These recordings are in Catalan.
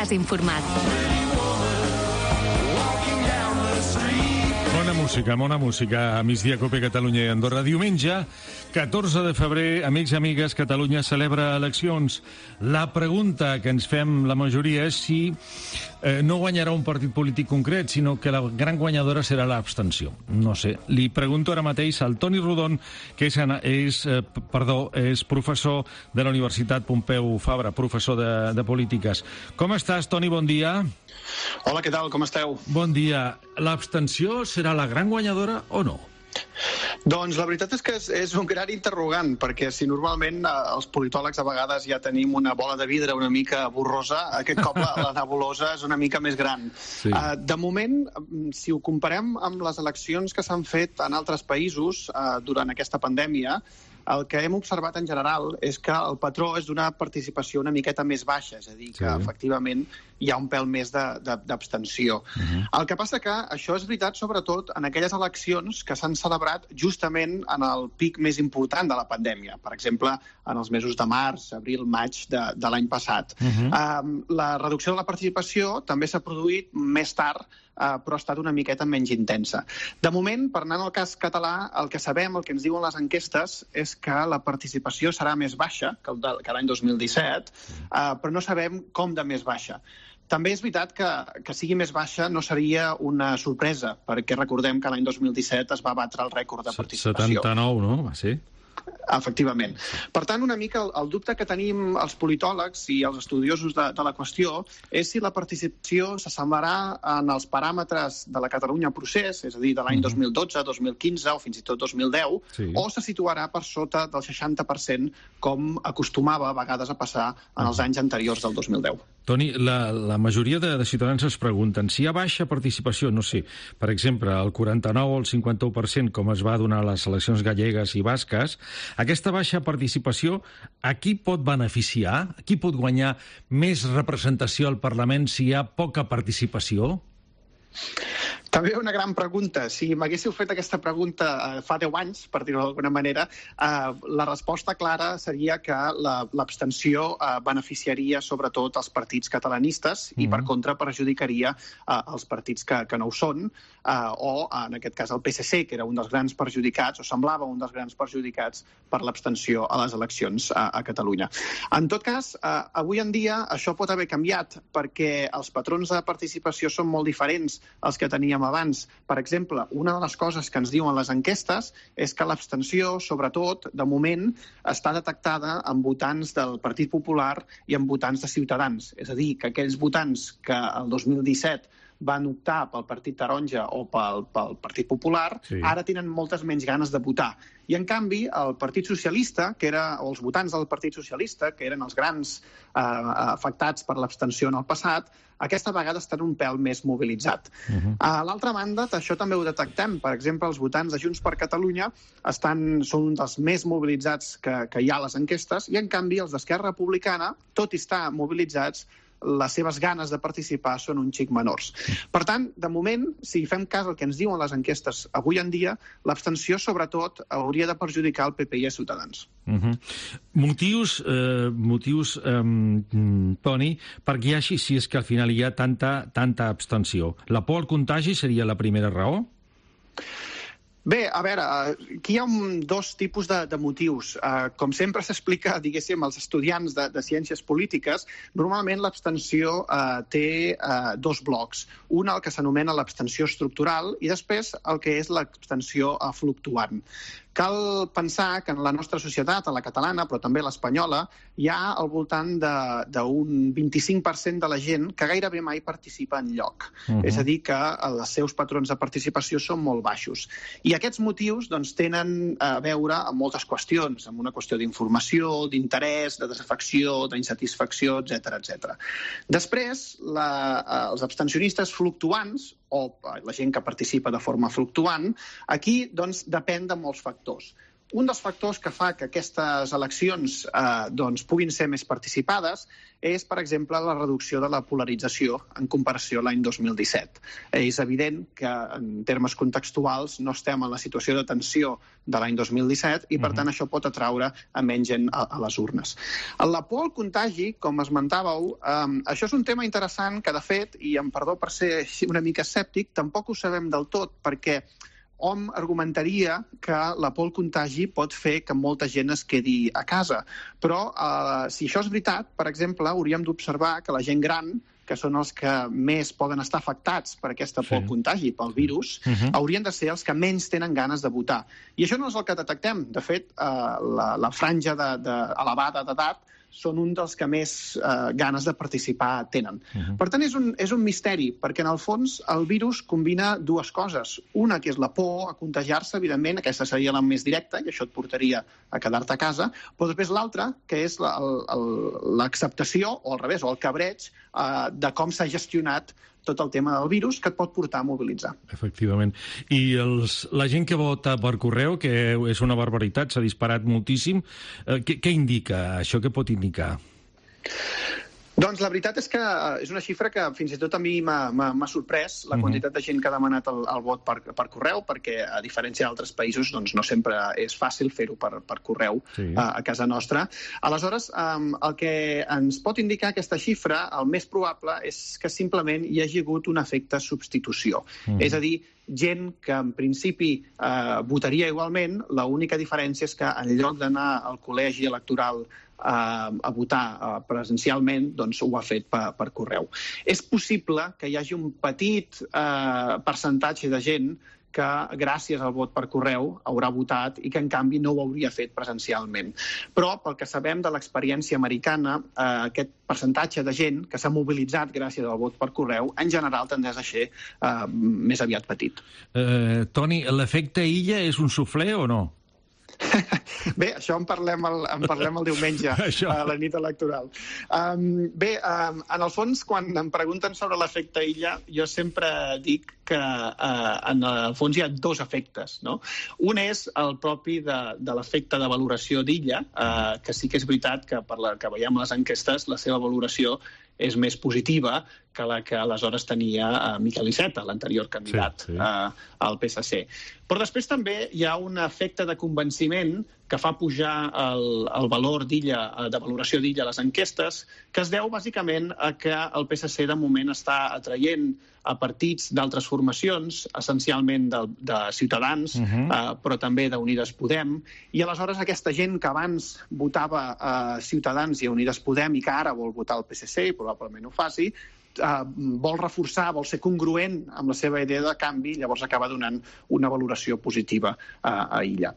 Has informat. Bona música a Migdia Cope Catalunya i Andorra. Diumenge, 14 de febrer, amics i amigues, Catalunya celebra eleccions. La pregunta que ens fem la majoria és si no guanyarà un partit polític concret, sinó que la gran guanyadora serà l'abstenció. No sé. Li pregunto ara mateix al Toni Rodon, que és professor de la Universitat Pompeu Fabra, professor de polítiques. Com estàs, Toni? Bon dia. Hola, què tal? Com esteu? Bon dia. L'abstenció serà la gran guanyadora o no? Doncs la veritat és que és un gran interrogant, perquè si normalment els politòlegs a vegades ja tenim una bola de vidre una mica borrosa, aquest cop la nebulosa és una mica més gran. Sí. De moment, si ho comparem amb les eleccions que s'han fet en altres països durant aquesta pandèmia, el que hem observat en general és que el patró és d'una participació una miqueta més baixa, és a dir, que efectivament hi ha un pèl més d'abstenció. El que passa que això és veritat sobretot en aquelles eleccions que s'han celebrat justament en el pic més important de la pandèmia, per exemple, en els mesos de març, abril, maig de l'any passat. La reducció de la participació també s'ha produït més tard, però ha estat una miqueta menys intensa. De moment, per anar al cas català, el que sabem, el que ens diuen les enquestes, és que la participació serà més baixa que l'any 2017, però no sabem com de més baixa. També és veritat que sigui més baixa no seria una sorpresa, perquè recordem que l'any 2017 es va batre el rècord de participació. 79, no? Va ser? Efectivament. Per tant, una mica el dubte que tenim els politòlegs i els estudiosos de la qüestió és si la participació s'assemblarà en els paràmetres de la Catalunya Procés, és a dir, de l'any 2012, 2015 o fins i tot 2010, o se situarà per sota del 60%, com acostumava a vegades a passar en els anys anteriors del 2010. Toni, la majoria de ciutadans es pregunten si hi ha baixa participació, no sé, per exemple, el 49 o el 51%, com es va donar a les eleccions gallegues i basques, aquesta baixa participació a qui pot beneficiar? A qui pot guanyar més representació al Parlament si hi ha poca participació? També una gran pregunta. Si m'haguéssiu fet aquesta pregunta fa 10 anys, per dir-ho d'alguna manera, la resposta clara seria que l'abstenció beneficiaria sobretot els partits catalanistes i, per contra, perjudicaria els partits que no ho són, o, en aquest cas, el PSC, que era un dels grans perjudicats, o semblava un dels grans perjudicats per l'abstenció a les eleccions a Catalunya. En tot cas, avui en dia això pot haver canviat, perquè els patrons de participació són molt diferents als que teníem abans. Per exemple, una de les coses que ens diuen les enquestes és que l'abstenció, sobretot, de moment, està detectada en votants del Partit Popular i en votants de Ciutadans. És a dir, que aquells votants que el 2017 van optar pel Partit Taronja o pel Partit Popular, ara tenen moltes menys ganes de votar. I, en canvi, el Partit Socialista, o els votants del Partit Socialista, que eren els grans afectats per l'abstenció en el passat, aquesta vegada estan un pèl més mobilitzat. A l'altra banda, això també ho detectem. Per exemple, els votants de Junts per Catalunya són un dels més mobilitzats que hi ha a les enquestes, i, en canvi, els d'Esquerra Republicana, tot i estar mobilitzats, les seves ganes de participar són un xic menors. Per tant, de moment, si fem cas al que ens diuen les enquestes avui en dia, l'abstenció, sobretot, hauria de perjudicar el PP i a Ciutadans. Motius, Toni, perquè hi hagi, si és que al final hi ha tanta abstenció. La por al contagi seria la primera raó? Bé, a veure, aquí hi ha dos tipus de motius. Com sempre s'explica, diguéssim, als estudiants de ciències polítiques, normalment l'abstenció té dos blocs. Un, el que s'anomena l'abstenció estructural, i després el que és l'abstenció fluctuant. Cal pensar que en la nostra societat, a la catalana, però també a l'espanyola, hi ha al voltant d'un 25% de la gent que gairebé mai participa enlloc. És a dir, que els seus patrons de participació són molt baixos. I aquests motius tenen a veure amb moltes qüestions, amb una qüestió d'informació, d'interès, de desafecció, d'insatisfacció, etc. Després, els abstencionistes fluctuants, o la gent que participa de forma fluctuant, aquí depèn de molts factors. un dels factors que fa que aquestes eleccions puguin ser més participades és, per exemple, la reducció de la polarització en comparació a l'any 2017. És evident que, en termes contextuals, no estem en la situació de tensió de l'any 2017 i, per tant, això pot atraure a menys gent a les urnes. La por al contagi, com esmentàveu, això és un tema interessant que, de fet, i amb perdó per ser una mica escèptic, tampoc ho sabem del tot, perquè hom argumentaria que la por al contagi pot fer que molta gent es quedi a casa. Però, si això és veritat, per exemple, hauríem d'observar que la gent gran, que són els que més poden estar afectats per aquesta por al contagi, pel virus, haurien de ser els que menys tenen ganes de votar. I això no és el que detectem. De fet, la franja elevada d'edat són un dels que més ganes de participar tenen. Per tant, és un misteri, perquè en el fons el virus combina dues coses. Una, que és la por a contagiar-se, evidentment, aquesta seria la més directa, i això et portaria a quedar-te a casa, però després l'altra, que és l'acceptació, o al revés, o el cabreig, de com s'ha gestionat tot el tema del virus, que et pot portar a mobilitzar. Efectivament. I la gent que vota per correu, que és una barbaritat, s'ha disparat moltíssim, què indica això? Què pot indicar? Doncs la veritat és que és una xifra que fins i tot a mi m'ha sorprès, la quantitat de gent que ha demanat el vot per correu, perquè a diferència d'altres països doncs no sempre és fàcil fer-ho per correu a casa nostra. Aleshores, el que ens pot indicar aquesta xifra, el més probable, és que simplement hi hagi hagut un efecte substitució. És a dir, gent que en principi votaria igualment, l'única diferència és que en lloc d'anar al col·legi electoral a votar presencialment, doncs ho ha fet per correu. És possible que hi hagi un petit percentatge de gent que gràcies al vot per correu haurà votat i que en canvi no ho hauria fet presencialment. Però pel que sabem de l'experiència americana, aquest percentatge de gent que s'ha mobilitzat gràcies al vot per correu en general tendeix a ser més aviat petit. Toni, l'efecte illa és un suflé o no? Bé, això en parlem el diumenge, a la nit electoral. Bé, en el fons, quan em pregunten sobre l'efecte illa, jo sempre dic que en el fons hi ha dos efectes, no? Un és el propi de l'efecte de valoració d'Illa, que sí que és veritat que per la que veiem les enquestes, la seva valoració és més positiva que la que aleshores tenia Miquel Iceta, l'anterior candidat al PSC. Però després també hi ha un efecte de convenciment que fa pujar el valor d'Illa, de valoració d'Illa a les enquestes, que es deu bàsicament a que el PSC de moment està atraient a partits d'altres formacions, essencialment de Ciutadans, però també d'Unides Podem, i aleshores aquesta gent que abans votava a Ciutadans i a Unides Podem i que ara vol votar al PSC, i probablement ho faci, vol reforçar, vol ser congruent amb la seva idea de canvi, llavors acaba donant una valoració positiva a Illa.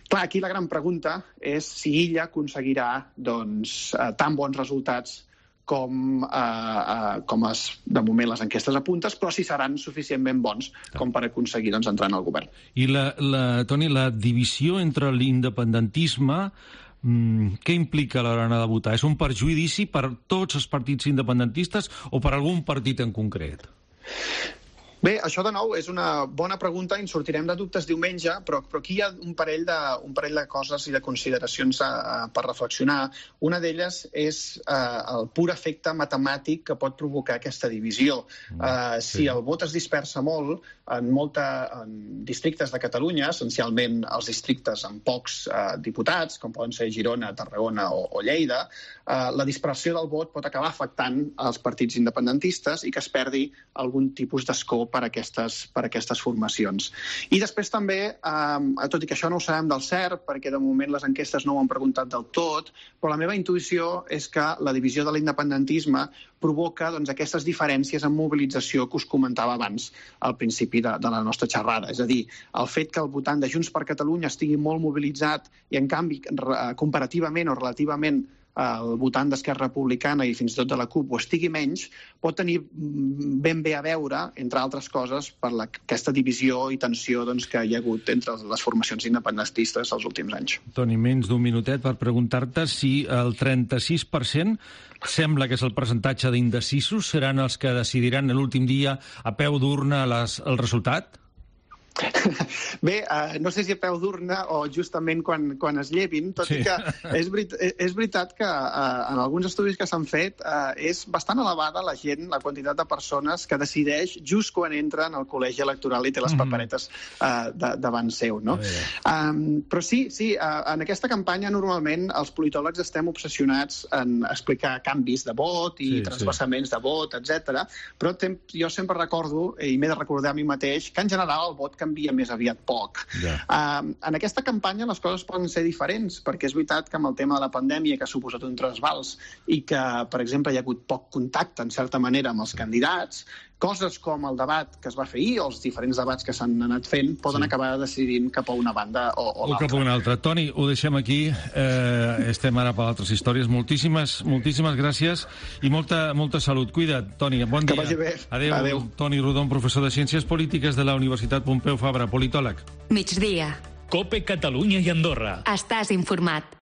Clar, aquí la gran pregunta és si Illa aconseguirà tan bons resultats com de moment les enquestes apuntes, però si seran suficientment bons com per aconseguir entrar en el govern. I, Toni, la divisió entre l'independentisme, què implica a l'hora de votar? És un perjudici per tots els partits independentistes o per algun partit en concret? Bé, això de nou és una bona pregunta i en sortirem de dubtes diumenge, però aquí hi ha un parell de coses i de consideracions per reflexionar. Una d'elles és el pur efecte matemàtic que pot provocar aquesta divisió. Si el vot es dispersa molt en districtes de Catalunya, essencialment els districtes amb pocs diputats, com poden ser Girona, Tarragona o Lleida, la dispersió del vot pot acabar afectant els partits independentistes i que es perdi algun tipus d'escó per aquestes formacions. I després també, tot i que això no ho sabem del cert, perquè de moment les enquestes no ho han preguntat del tot, però la meva intuïció és que la divisió de l'independentisme provoca aquestes diferències en mobilització que us comentava abans al principi de la nostra xerrada. És a dir, el fet que el votant de Junts per Catalunya estigui molt mobilitzat i, en canvi, comparativament o relativament el votant d'Esquerra Republicana i fins i tot de la CUP ho estigui menys, pot tenir ben bé a veure, entre altres coses, per aquesta divisió i tensió que hi ha hagut entre les formacions independentistes els últims anys. Toni, menys d'un minutet per preguntar-te si el 36% sembla que és el percentatge d'indecisos, seran els que decidiran l'últim dia a peu d'urna el resultat? Bé, no sé si a peu d'urna o justament quan es llevin, tot i que és veritat que en alguns estudis que s'han fet és bastant elevada la quantitat de persones que decideix just quan entren al col·legi electoral i té les paperetes davant seu, no? Però sí, en aquesta campanya normalment els politòlegs estem obsessionats en explicar canvis de vot i transvasaments de vot, etc. Però jo sempre recordo, i m'he de recordar a mi mateix, que en general el vot canvia més aviat poc. En aquesta campanya les coses poden ser diferents, perquè és veritat que amb el tema de la pandèmia que ha suposat un trasbals i que, per exemple, hi ha hagut poc contacte, en certa manera, amb els candidats, coses com el debat que es va fer ahir o els diferents debats que s'han anat fent poden acabar decidint cap a una banda o l'altra. O cap a una altra. Toni, ho deixem aquí. Estem ara per altres històries. Moltíssimes gràcies i molta salut. Cuida't, Toni. Bon dia. Que vagi bé. Adéu. Toni Rodon, professor de Ciències Polítiques de la Universitat Pompeu Fabra, politòleg. Migdia. COPE Catalunya i Andorra. Estàs informat.